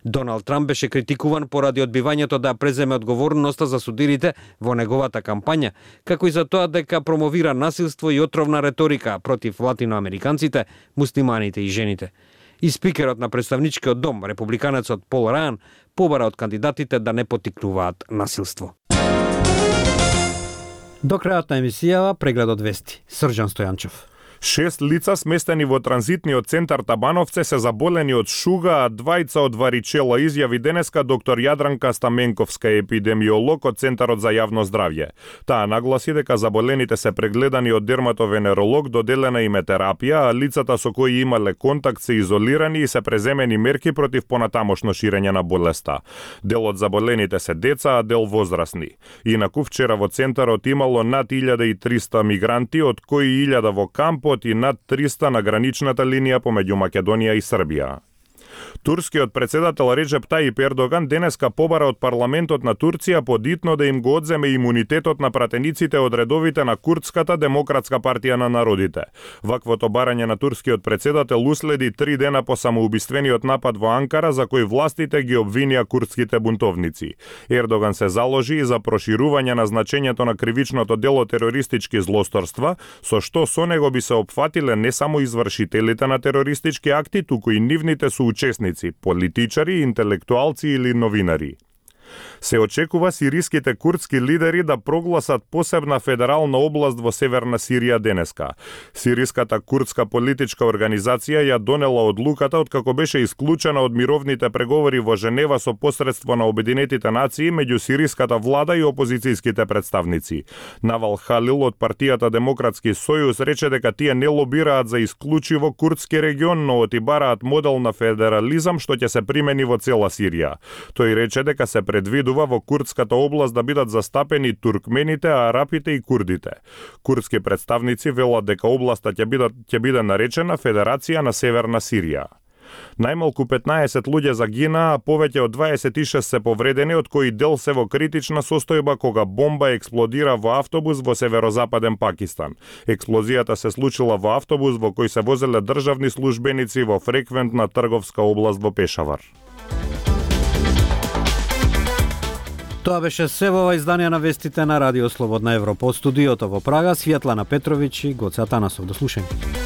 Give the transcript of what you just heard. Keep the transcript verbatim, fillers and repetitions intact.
Доналд Трамп беше критикуван поради одбивањето да преземе одговорноста за судирите во неговата кампања, како и за тоа дека промовира насилство и отровна реторика против латиноамериканците, муслиманите и жените. И спикерот на представничкиот дом, републиканецот Пол Рајан, побара од кандидатите да не поттикнуваат насилство. До крајот на емисијава прегледот вести. Срđan Стојанчев. Шест лица сместени во транзитниот центар Табановце се заболени од шуга, а двајца од варичела, изјави денеска доктор Јадранка Стаменковска, епидемиолог од Центарот за јавно здравје. Таа нагласи дека заболените се прегледани од дерматовенеролог, доделена им е терапија, а лицата со кои имале контакт се изолирани и се преземени мерки против понатамошно ширење на болеста. Дел од заболените се деца, а дел возрастни. Инаку вчера во центарот имало над илјада и триста мигранти, од кои илјада во кампот и над триста на граничната линија помеѓу Македонија и Србија. Турскиот председател Реджеп Тајип Ердоган денеска побара од парламентот на Турција подитно да им го одземе имунитетот на пратениците од редовите на Курдската демократска партија на народите. Ваквото барање на турскиот председател уследи три дена по самоубиствениот напад во Анкара, за кој властите ги обвинија курдските бунтовници. Ердоган се заложи и за проширување на значењето на кривичното дело терористички злосторства, со што со него би се опфатиле не само извршителите на терористички акти, туку и нивните соучесници, политичари, интелектуалци или новинари. Се очекува сириските курдски лидери да прогласат посебна федерална област во Северна Сирија денеска. Сириската курдска политичка организација ја донела одлуката откако беше исклучена од мировните преговори во Женева со посредство на Обединетите нации меѓу сириската влада и опозицијските представници. Навал Халил од партијата Демократски сојуз рече дека тие не лобираат за исклучиво курдски регион, но отибараат модел на федерализам што ќе се примени во цела Сирија. Тој рече дека се предвидува во курдската област да бидат застапени туркмените, арапите и курдите. Курдски представници велат дека областа ќе биде, ќе биде наречена Федерација на Северна Сирија. Најмалку петнаесет луѓе загинаа, а повеќе од дваесет и шест се повредени, од кои дел се во критична состојба кога бомба експлодира во автобус во северозападен Пакистан. Експлозијата се случила во автобус во кој се возеле државни службеници во фреквентна трговска област во Пешавар. Тоа беше се во ова издание на вестите на Радио Слободна Европа. Од студиото во Прага, Светлана Петровиќ и Гоце Атанасов. До слушање.